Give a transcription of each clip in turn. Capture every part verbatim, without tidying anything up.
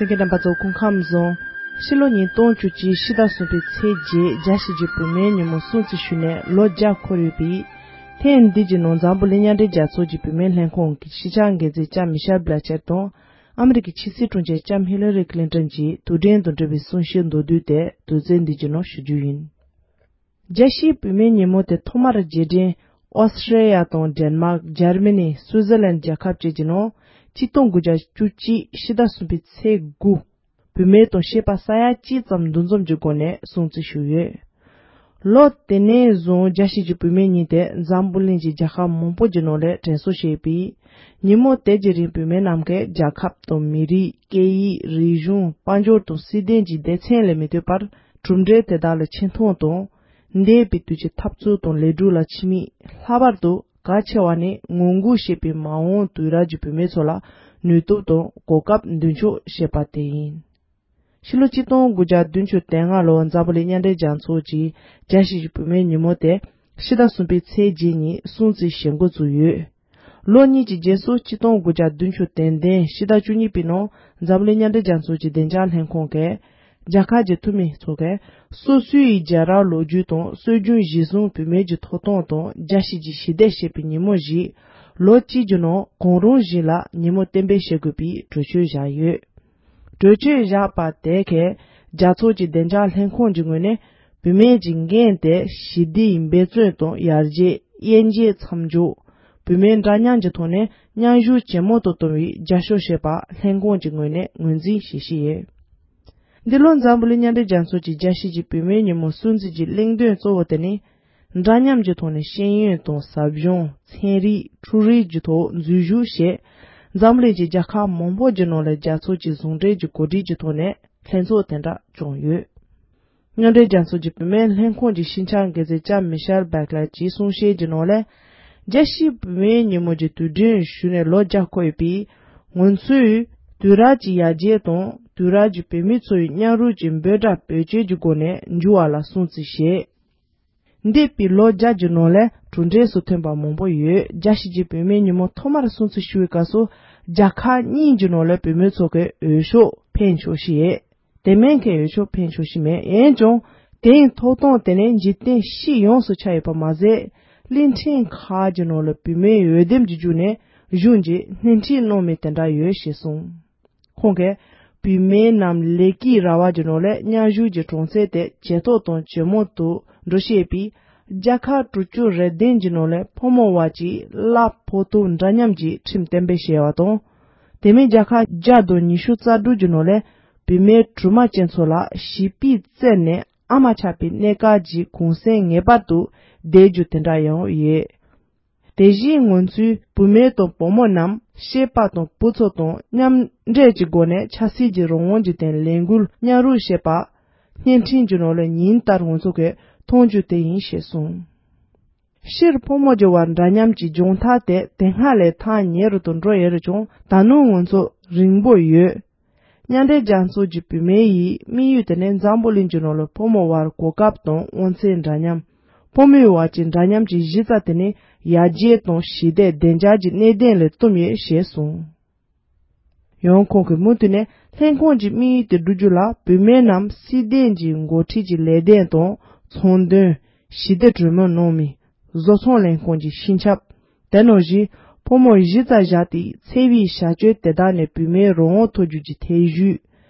གསན་མཁན་རྣམ་པ་ཚོ་སྐུ་ཁམས་བཟང་། ཕྱི་ལོ་ཉིས་སྟོང་བཅུ་གཅིག་ཕྱི་ཟླ་གསུམ་པའི་ཚེས་བརྒྱད་རྒྱལ་སྤྱི་གི་བུད་མེད་ཉིན་མོ་སྲུང་བརྩི་ཞུས་ནས་ལོ་བརྒྱ་འཁོར་ཡོད་པས། ཐེངས་འདི་གི་ནང་འཛམ་བུ་གླིང་མཉམ་འབྲེལ་རྒྱལ་ཚོགས་ཀྱི་བུད་མེད་ལྷན་ཁང་གི་ཕྱི་འཆར་འགན་འཛིན་ལྕམ་མི་ཤེལ་བྷི་ལ་ཆེར་དང་། ཨ་མི་རི་ཀའི་ཕྱི་སྲིད་དྲུང་ཆེ་ལྕམ་ཧི་ལ་རི་ཀི་ལིན་ཏོན་གྱི་དུས་དྲན་དང་འབྲེལ་བའི་གསུང་བཤད་མདོར་བསྡུས་དེ་དུས་ཚོད་འདི་གི་ནང་ཞུ་རྒྱུ་ཡིན། རྒྱལ་སྤྱིའི་བུད་མེད་ཉིན་མོ་དེ་ཐོག་མར་རྗེས་དྲན་ཨོ་སི་ཀྲི་ཡ་དང་ཌེན་མཱག་ཇར་མ་ནི་སུའུ་ཛར་ལན་རྒྱལ་ཁབ་བཅས་ཀྱི་ནང་གཅིག་སྟོང་དགུ་བརྒྱ་བཅུ་གཅིག་ཕྱི་ཟླ་གསུམ་པའི་ཚེས་དགུ། བུད་མེད་དང་བྱིས་པ་ས་ཡ་གཅིག་ཙམ་འདུ་འཛོམས་ཀྱི་སྒོ་ནས་སྲུང་བརྩི་ཞུས་ཡོད། ལོ་དེ་ནས་བཟུང་རྒྱལ་སྤྱི་གི་བུད་མེད་ཉིན་དེ་འཛམ་བུ་གླིང་གི་རྒྱལ་ཁབ་མང་པོ་གྱི་ནང་ལ་དྲན་གསོ་བྱས་པས། ཉིན་མོ་དེ་གི་རིང་བུད་མེད་རྣམས་ཀྱིས་རྒྱལ་ཁབ་དང་མི་རིགས་སྐད་ཡིག་རིག་གཞུང་དཔལ་འབྱོར་དང་སྲིད་དོན་གྱི་སྡེ་ཚན་ལ་མི་ལྟོས་པར་གྲུབ་འབྲས་དེ་དག་ལ་ཆེ་མཐོང་དང་། འདས་པའི་དུས་ཀྱི་འཐབ་རྩོད་དང་ལས་འགུལ་ལ་ཕྱི་མིག་ལྷག་པར་དུ་གལ་ཆེ་བ་ནི་ངང་སྒུག་བྱེད་པའི་མ་འོངས་དུས་རབས་ཀྱི་བུད་མེད་ཚོ་ལ་ནུས་སྟོབས་དང་གོ་སྐབས་མདུན་སྐྱོད་བྱེད་པ་དེ་ཡིན། ཕྱི་ལོ་གཅིག་སྟོང་དགུ་བརྒྱ་བདུན་ཅུ་དོན་ལྔ་ལོར་འཛམ་བུ་གླིང་མཉམ་འབྲེལ་རྒྱལ་ཚོགས་ཀྱིས་རྒྱལ་སྤྱི་གི་བུད་མེད་ཉིན་མོ་དེ་ཕྱི་ཟླ་གསུམ་པའི་ཚེས་བརྒྱད་ཉིན་སྲུང་བརྩི་བྱེད་འགོ་བཙུགས་ཡོད། ལོ་གཉིས་ཀྱི་རྗེས་སུ་གཅིག་སྟོང་དགུ་བརྒྱ་བདུན་ཅུ་དོན་བདུན་ཕྱི་ཟླ་བཅུ་གཉིས་པའི་ནང་འཛམ་བུ་གླིང་མཉམ་འབྲེལ་རྒྱལ་ཚོགས་ཀྱི་བདེ་འཇགས་ལྷན་ཁང་གིས། རྒྱལ་ཁབ་ཀྱི་འཐུས་མི་ཚོ་གིས་སོ་སོའི་རྒྱལ་རབས་ལོ་རྒྱུས་དང་སྲོལ་རྒྱུན་གཞིར་བཟུང་བུད་མེད་ཀྱི་ཐོབ་ཐང་དང་རྒྱལ་སྤྱི་གི་ཞི་བདེ་ཞེས་པའི་ཉིན་མོ་ཞིག་ལོ་གཅིག་གི་ནང་གང་རུང་ཞིག་ལ་ཉིན་མོ་གཏན་འབེབས་བྱེད་དགོས་པའི་གྲོས་ཆོད་བཞག་ཡོད། གྲོས་ཆོད་བཞག་པ་དེ་གས་རྒྱལ་ཚོགས་ཀྱི་བདེ་འཇགས་ལྷན་ཁང་གི་ངོས་ནས་བུད་མེད་ཀྱི་འགན་དེ་ཞི་བདེའི་འབད་བརྩོན་དང་ཡར་རྒྱས། དབྱེ་འབྱེད་མཚམས་འཇོག་བུད་མེད་འདྲ་མཉམ་གྱི་ཐོག་ནས་མཉམ་ཞུགས་ཇེ་མང་དུ་གཏོང་བའི་རྒྱབ་སྐྱོར་བྱེད་པ་ལྷན་ཁང་གི་ངོས་ནས་ངོས་འཛིན་བྱེད་བཞིན་ཡོད། འདི་ལོ་འཛམ་བུ་གླིང་མཉམ་འབྲེལ་རྒྱལ་ཚོགས་ཀྱི་རྒྱལ་སྤྱི་གི་བུད་མེད་ཉིན་མོ་སྲུང་བརྩི་གི་གླེང་དོན་གཙོ་བོ་དེ་ནི། འདྲ་མཉམ་གྱི་ཐོག་ནས་ཤེས་ཡོན་དང་ཟབ་སྦྱོང་། ཚན་རིག་འཕྲུལ་རིག་གི་ཐོག་འཛུལ་ཞུགས་བྱས། འཛམ་གླིང་གི་རྒྱལ་ཁབ་མང་པོ་གྱི་ནང་ལ་རྒྱལ་ཚོགས་ཀྱི་ཟུང་འབྲེལ་གྱི་གོ་སྒྲིག་གི་ཐོག་ནས་ལྷན་ཚོགས་དེ་འདྲ་བསྐྱངས་ཡོད། མཉམ་འབྲེལ་རྒྱལ་ཚོགས་ཀྱི་བུད་མེད་ལྷན་ཁང་གི་ཤིན་ཆང་འགན་འཛིན་ལྕམ་མི་ཤེལ་བྷེག་ལར་གྱིས་གསུང་བཤད་ཀྱི་ནང་ལ། རྒྱལ་སྤྱིའི་བུད་མེད་ཉིན་མོ་གྱི་དུས་དྲན་ཞུས་ནས་ལོ་བརྒྱ་འཁོར་ཡོད་པས། ང་ཚོས་དུས་རབས་ཀྱི་ཡར་རྒྱས་དང་དུས་རབས་ཀྱི་བུད་མེད་ཚོའི་མཉམ་རུབ་ཀྱི་འབོད་སྒྲ་བེད་སྤྱོད་ཀྱི་སྒོ་ནས་འགྱུར་བ་ལ་སྲུང་བརྩི་བྱས། འདས་པའི་ལོ་བརྒྱ་གྱི་ནང་ལ་གྲུབ་འབྲས་སུ་ཐོན་པ་མང་པོ་ཡོད། རྒྱལ་སྤྱི་གི་བུད་མེད་ཉིན་མོ་ཐོག་མར་སྲུང་བརྩི་ཞུ་བའི་སྐབས་སུ་རྒྱལ་ཁབ་གཉིས་ཀྱི་ནང་ལ་བུད་མེད་ཚོ་གི་འོས་ཤོག་འཕེན་ཆོག་ཤི་ཡས། དེ་མིན་གྱི་འོས་ཤོག་འཕེན་ཆོག་ཤི་མེད། འོན་ཀྱང་དེའི་ཐོབ་ཐང་དེ་ནི་འཇིག་རྟེན་སྤྱི་ཡོངས་སུ་ཆགས་ཡོད་པ་མ་ཟད། གླིང་ཕྲན་ཁག་གི་ནང་ལ་བུད་མེད་འོས་འདེམས་ཀྱི་བརྒྱུད་ནས་གཞུང་གིས་སྣེ་ཁྲིད་གནང་མུས་དེ་འདྲ་ཡོད་ཞེས་གསུངས། ཁོང་གིས་བུད་མེད་རྣམས་ལས་ཀའི་ར་བ་གྱི་ནང་ལ་མཉམ་ཞུགས་ཀྱི་གྲངས་ཚད་དེ་ཇེ་མཐོ་དང་ཇེ་མང་དུ་འགྲོ་བཞིན་པས། རྒྱལ་ཁབ་དྲུག་ཅུ་རེ་བདུན་གྱི་ནང་ལ་ཕོ་མོ་བར་གྱི་གླ་ཕོགས་ཐོབ་འདྲ་མཉམ་གྱི་ཁྲིམས་གཏན་འབེབས་བྱས་པ་དང་། དེ་མིན་རྒྱལ་ཁབ་བརྒྱ་དང་ཉི་ཤུ་རྩ་དྲུག་གི་ནང་ལ་བུད་མེད་དྲུག་མ་ཅན་ཚོ་ལ་བྱིས་པའི་རྩད་ནས་ཨ་མ་ཆགས་པའི་གནས་སྐབས་ཀྱི་གུང་སེང་ངེས་པར་དུ་བསྡད་རྒྱུ་དེ་འདྲ་ཡང་ཡོད། དེ་བཞིན་ང་ཚོས་བུད་མེད་དང་བུ་མོ་རྣམས་སྐྱེས་པ་དང་བུ་ཚོ་དང་མཉམ་འབྲེལ་གྱི་སྒོ་ནས་ཆབ་སྲིད་ཀྱི་རང་དབང་གི་སྟེང་ལས་འགུལ་མཉམ་རུབ་བྱེད་པ། བརྙན་འཕྲིན་གྱི་ནང་ལ་ཉིན་ལྟར་ང་ཚོ་གིས་མཐོང་རྒྱུ་དེ་ཡིན་ཞེས་གསུངས། སྤྱིར་ཕོ་མོ་གྱི་བར་འདྲ་མཉམ་གྱི་སྦྱོང་ཐབས་དེ་དེ་སྔ་ལས་ཐག་ཉེ་རུ་དུ་འགྲོ་ཡོད་རེད་ཀྱང་ད་ནངས་ང་ཚོ་རིང་པོ་ཡོད། མཉམ་འབྲེལ་རྒྱལ་ཚོགས་ཀྱི་བུད་མེད་ཡི་དམིགས་ཡུལ་དེ་ནི་འཛམ་བུ་གླིང་གི་ནང་ལ་ཕོ་མོ་བར་གོ་སྐབས་དང་དབང་ཚད་འདྲ་མཉམ། ཕོ་མོའི་བར་གྱི་འདྲ་མཉམ་གྱི་གཞི་རྩ་དེ་ནི་ཡར་རྒྱས་དང་ཞི་བདེ་བདེ་འཇགས་ཀྱི་གནད་དོན་ལ་བསྟུན་ཡོད་ཞེས་གསུངས། ཡང་ཁོང་གིས་མུ་མཐུད་ནས་ལྷན་ཁང་གི་དམིགས་ཡུལ་དེ་བསྒྲུབ་རྒྱུ་ལ་བུད་མེད་རྣམས་སྲིད་དོན་གྱི་འགོ་ཁྲིད་ཀྱི་ལས་དོན་དང་ཚོང་དོན། ཞི་བདེ་གྲོས་མོལ་གནང་མི། བཟོ་ཚོང་ལྷན་ཁང་གི་སྤྱི་ཁྱབ། དེ་ནང་བཞིན་ཕོ་མོ་གཞི་རྩར་བཞག་སྟེ་འཚེ་བའི་བྱ་སྤྱོད་དེ་དག་ནས་བུད་མེད་རང་དབང་ཐོབ་རྒྱུ་གྱི་ཐེ་བྱུས།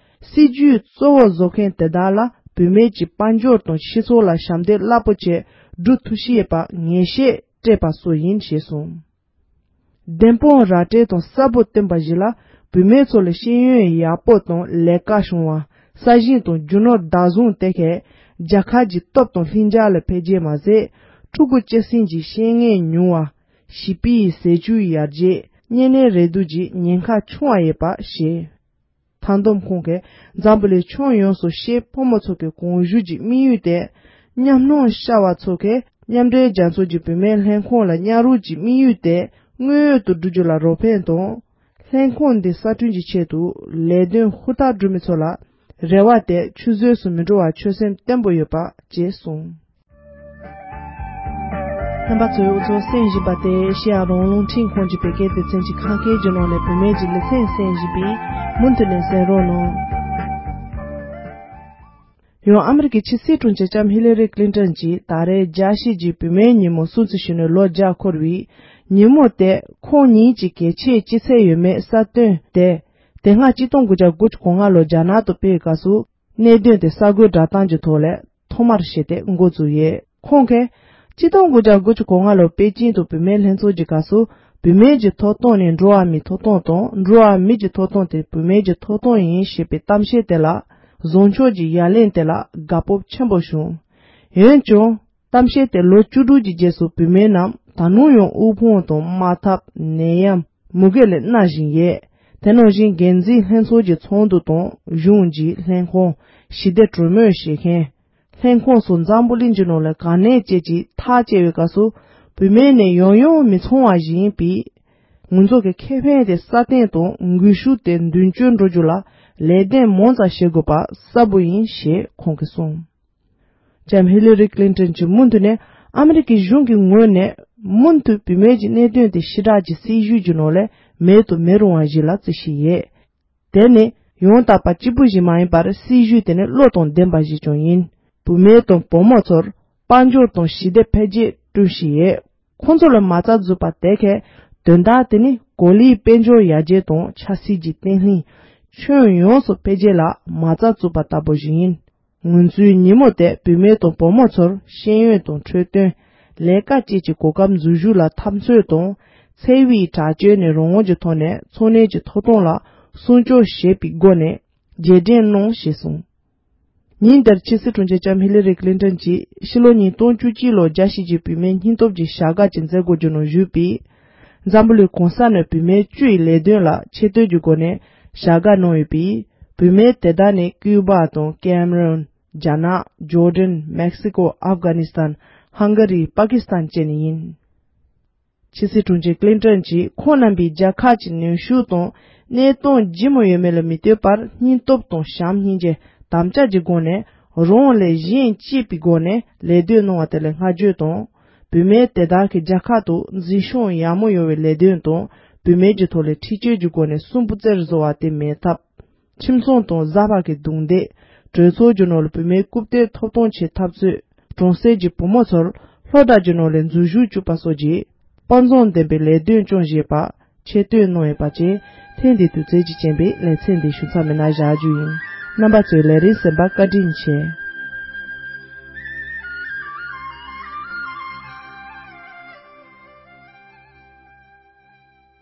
སྲིད་ཇུས་གཙོ་བོ་བཟོ་མཁན་དེ་དག་ལ་བུད་མེད་ཀྱི་དཔལ་འབྱོར་དང་སྤྱི་ཚོགས་ལ་ཞབས་འདེགས་རླབས་པོ་ཆེ་སྒྲུབ་ཐུབ་ཤེས་པ་ངེས་ཤེས་སྤྲད་པ་སོགས་ཡིན་ཞེས་གསུངས། བདེན་དཔང་ར་སྤྲོད་དང་གསལ་པོ་བསྟན་པ་བཞིན་ལ་བུད་མེད་ཚོ་ལ་ཤེས་ཡོན་ཡག་པོ་དང་ལས་ཀ་བྱུང་བ། ས་ཞིང་དང་རྒྱུ་ནོར་བདག་བཟུང་དེ་གས་རྒྱལ་ཁབ་ཀྱི་སྟོབས་དང་ལྷིང་འཇགས་ལ་འཕེལ་རྒྱས་མ་ཟད། ཕྲུ་གུ་སྐྱེད་སྲིང་གི་ཤེས་ངེས་ཉུང་བ། བྱིས་པའི་ཟས་བཅུད་ཡར་རྒྱས། གཉན་ནད་རེག་དུག་གི་ཉེན་ཁ་ཆུང་བ་ཡོད་པ་ཞེས། མཐའ་བསྡོམས་ཁོང་གིས་འཛམ་བུ་གླིང་ཁྱོན་ཡོངས་སུ་སྐྱེས་ཕོ་མོ་ཚོ་གི་གོང་བཞུགས་ཀྱི་དམིགས་ཡུལ་དེ། མཉམ་སྣང་ཤར་བ་ཚོ་གིས་མཉམ་འབྲེལ་རྒྱལ་ཚོགས་ཀྱི་བུད་མེད་ལྷན་ཁང་ལ་མཉམ་རུབ་ཀྱི་དམིགས་ཡུལ་དེ་དངོས་ཡོད་དུ་བསྒྲུབ་རྒྱུ་ལ་རོགས་ཕན་དང་། ལྷན་ཁང་འདི་གསར་སྐྲུན་གྱི་ཆེད་དུ་ལས་དོན་ཧུར་ཐག་སྒྲུབ་མི་ཚོ་ལ་རེ་བ་དེ་ཆུད་ཟོས་སུ་མི་འགྲོ་བར་ཆོད་སེམས་བརྟན་པོ་ཡོད་པ་ཅེས་གསུངས། རྣམ་པ་ཚོས་འུ་ཚོ་གསན་བཞིན་པ་དེ་ཨེ་ཤེ་ཡ་རང་དབང་རླུང་འཕྲིན་ཁང་གི་བོད་སྐད་སྡེ་ཚན་གྱི་ཁམས་སྐད་ཀྱི་ནང་ནས་བུད་མེད་ཀྱི་ལེ་ཚན་གསན་བཞིན་པས། མུ་མཐུད་ནས་གསན་རོགས་གནང་། ཡང་ཨ་མི་རི་ཀའི་ཕྱི་སྲིད་དྲུང་ཆེ་ལྕམ་ཧི་ལ་རི་ཀླིན་ཏོན་གྱིས་ད་རེས་རྒྱལ་སྤྱི་གི་བུད་མེད་ཉིན་མོ་སྲུང་བརྩི་ཞུས་ནས་ལོ་བརྒྱ་འཁོར་བའི་ཉིན་མོ་དེ་ཁོང་ཉིད་ཀྱི་གལ་ཆེའི་སྐྱེས་ཚེས་ཡོད་མེད་གསལ་སྟོན་དེ། དེ་སྔ་གཅིག་སྟོང་དགུ་བརྒྱ་དགུ་བཅུ་གོ་ལྔ་ལོར་རྒྱ་ནག་ཏུ་སྤེལ་བའི་སྐབས་སུ། གནད་དོན་དེ་གསར་འགོད་བསྒྲགས་གཏམ་གྱི་ཐོག་ལས་ཐོག་མར་བཤད་དེ་འགོ་བཙུགས་ཡོད། ཁོང་གིས། གཅིག་སྟོང་དགུ་བརྒྱ་དགུ་བཅུ་གོ་ལྔ་ལོར་པེ་ཅིང་དུ་བུད་མེད་ལྷན་ཚོགས་ཀྱི་སྐབས་སུ། བུད་མེད་ཀྱི་ཐོབ་ཐང་ནི་འགྲོ་བ་མིའི་ཐོབ་ཐང་དང་། འགྲོ་བ་མི་གྱི་ཐོབ་ཐང་དེ་བུད་མེད་ཀྱི་ཐོབ་ཐང་ཡིན་ཞེས་པའི་གཏམ་བཤད་དེ་ལ། བཟང་ཕྱོགས་ཀྱི་ཡ་ལན་དེ་ལ་དགའ་སྤོབས་ཆེན་པོ་བྱུང་། འོན་ཀྱང་། གཏམ་བཤད་དེ་ལོ་བཅུ་དྲུག་གི་རྗེས་སུ་བུད་མེད་རྣམས་ད་དུང་ཡང་དབུལ་ཕོངས་དང་དམག་འཐབ། ནད་ཡམས། མུ་གེ་ལས་མནར་བཞིན་ཡོད། དེ་ནང་བཞིན་འགན་འཛིན་ལྷན་ཚོགས་ཀྱི་ཚོགས་འདུ་དང་གཞུང་གི་ལྷན་ཁང་། ཞི་བདེ་གྲོས་མོལ་བྱེད་མཁན། ལྷན་ཁང་སོགས་འཛམ་བུ་གླིང་གི་ནང་ལ་ག་ནས་བཅས་ཀྱིས་ཐག་བཅད་པའི་སྐབས་སུ། བུད་མེད་ནི་ཡང་ཡང་མི་ཚང་བ་ཞིག་ཡིན་པས། ང་ཚོ་གི་ཁེ་ཕན་དེ་སྲ་བརྟན་དང་འགུལ་ཤུགས་དེ་མདུན་སྐྱོད་འགྲོ་རྒྱུ་ལ་ལས་དོན་མང་ཙམ་བྱེད་དགོས་པ་གསལ་པོ་ཡིན་ཞེས་ཁོང་གིས་གསུངས། ལྕམ་ཧི་ལ་རི་ཀླིན་ཏོན་གྱིས་མུ་མཐུད་ནས་ཨ་མི་རི་ཀའི་གཞུང་གི་ངོས་ནས་མུ་མཐུད་བུད་མེད་ཀྱི་གནད་དོན་དེ་ཕྱི་དྲག་གི་སྲིད་ཇུས་ཀྱི་ནང་ལས་མེད་དུ་མི་རུང་བ་ཞིག་ལ་བརྩི་བཞིན་ཡོད། དེ་ནི་ཡང་དག་པ་གཅིག་པུ་ཞིག་མ་ཡིན་པར་སྲིད་ཇུས་དེ་ནི་བློ་དང་ལྡན་པ་ཞིག་ཀྱང་ཡིན། བུད་མེད་དང་བུ་མོ་ཚོར་དཔལ་འབྱོར་དང་ཞི་བདེ་འཕེལ་རྒྱས་བསྐྲུན་བཞིན་ཡོད། ཁོང་ཚོ་ལ་མ་རྩ་འཛུགས་པ་དེ་གའི་དོན་དག་དེ་ནི་གོ་ལའི་དཔལ་འབྱོར་ཡར་རྒྱས་དང་ཆབ་སྲིད་ཀྱི་བརྟན་ལྷིང་། ཁྱོན་ཡོངས་སུ་འཕེལ་རྒྱས་ལ་མ་རྩ་བཙུགས་པ་ལྟ་བུ་ཞིག་ཡིན། ང་ཚོའི་ཉིན་མོ་དེ་བུད་མེད་དང་བུ་མོ་ཚོར་ཤེས་ཡོན་དང་འཕྲོད་བསྟེན། ལས་ཀ་བཅས་ཀྱི་གོ་སྐབས་འཛུལ་ཞུགས་ལ་འཐབ་རྩོད་དང་། འཚེ་བའི་དྲག་སྤྱོད་ནས་རང་དབང་གི་ཐོག་ནས་འཚོ་གནས་ཀྱི་ཐོབ་ཐང་ལ་སྲུང་སྐྱོབ་བྱེད་པའི་སྒོ་ནས་རྗེས་དྲན་གནང་ཞེས་གསུངས། ཉིན་དེར་ཕྱི་སྲིད་དྲུང་ཆེ་ལྕམ་ཧི་ལ་རི་ཀླིན་ཏོན་གྱིས་ཕྱི་ལོ་ཉིས་སྟོང་བཅུ་གཅིག་ལོར་རྒྱལ་སྤྱི་གི་བུད་མེད་སྙིང་སྟོབས་ཀྱི་བྱ་དགའ་ཅིག་མཛད་སྒོ་རྒྱུ་ནང་ཞུགས་པས། འཛམ་བུ་གླིང་གང་ས་ནས་བུད་མེད་བཅུ་ཡི་ལས་དོན་ལ་ཆེ་བསྟོད་ཀྱི་སྒོ་ནས་བྱ་དགའ་གནང་ཡོད་པས། བུད་མེད་དེ་དག་ནི་ཀིའུ་བ་དང་ཀེམ་རོན། རྒྱ་ནག་ཇོར་ཌན། མེག་སི་ཀོ། ཨབ་གྷ་ནི་སི་ཐན། ཧང་ག་རི། པ་ཀི་སི་ཐན་བཅས་ནས་ཡིན། ཕྱི་སྲིད་དྲུང་ཆེ་ཀླིན་ཏོན་གྱིས་ཁོང་རྣམ་པས་རྒྱལ་ཁབ་ཀྱི་ནུས་ཤུགས་དང་གནས་སྟངས་ལྗིད་མོ་ཡོད་མེད་ལ་མི་ལྟོས་པར་སྙིང་སྟོབས་དང་བྱམས་སྙིང་རྗེ་དམ་བཅའ་གྱི་སྒོ་ནས་རང་ལས་གཞན་གཅེས་པའི་སྒོ་ནས་ལས་དོན་གནང་བ་དེ་ལ་བསྔགས་བརྗོད་དང་། བུད་མེད་དེ་དག་གིས་རྒྱལ་ཁབ་ཏུ་འཛིན་སྐྱོང་ཡག་མོ་ཡོང་བའི་ལས་དོན་དང་། བུད་མེད་ཀྱི་ཐོག་ལས་འཁྲིག་སྤྱོད་ཀྱི་སྒོ་ནས་སུན་པོ་རྩེར་བཟོ་བ་དེ་མེད་ཐབས། ཁྱིམ་ཚང་དང་གཟའ་པ་གི་རྡུང་རྡེག། གྲོས་ཚོགས་ཀྱི་ནང་ལ་བུད་མེད་རྐུབ་སྟེགས་ཐོབ་ཐང་ཆེད་འཐབ་རྩོད། གྲོང་གསེབ་ཀྱི་བུ་མོ་ཚོར་སློབ་གྲྭ་གྱི་ནང་ལ་འཛུལ་ཞུགས་བཅུག་པ་སོགས་ཀྱི་དཔའ་མཛངས་ལྡན་པའི་ལས་དོན་སྐྱོང་བཞིན་པ་ཆེ་བསྟོད་གནང་ཡོད་པ་བཅས་ཐེངས་འདིའི་དུས་ཚོད་ཀྱི་རྐྱེན་པས་ལེ་ཚན་འདི་ཞུ་མཚམས་མེད་ན་བཞག་རྒྱུ་ཡིན། རྣམ་པ་ཚོས་ལས་རིམ་གསན་པར་བཀའ་དྲིན་ཆེ།